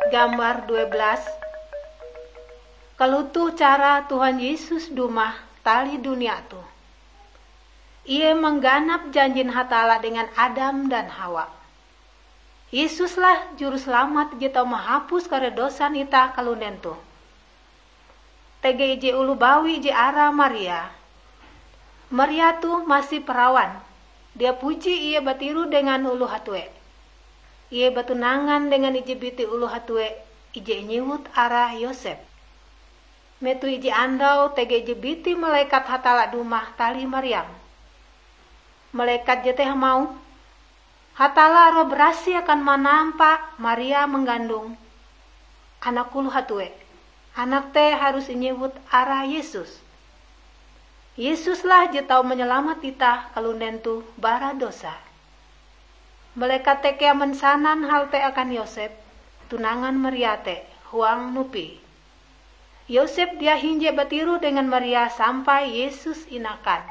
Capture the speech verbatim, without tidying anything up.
Gambar dua belas. Kalotoh cara Tuhan Yesus dumah tali dunia toh. Ie mangganap janjin Hatalla dengan Adam dan Hawa. Yesuslah Juruselamat je tau mahapus kare dosan itah kalunen toh. Tege ije oloh bawi je arae Maria. Maria toh masih perawan. Dia puji ie batiroh dengan oloh hatue. Ie batunangan dengan ije biti oloh hatue ije inyewut arae Yosep. Metoh ije andau tege ije biti malekat Hatalla dumah tali Mariam. Malekat jete hamauh, "Hatalla Roh Barasih akan manampa Maria manggandong anak oloh hatue. Anak te harus inyewut arae Yesus." Yesuslah je tau manyalamat itah kalunen toh bara dosa. Malekat te kea mansanan hal te akan Yosep, tunangan Maria te, huang nupi. Yosep dia hinje batiroh dengan Maria sampai Yesus inakan.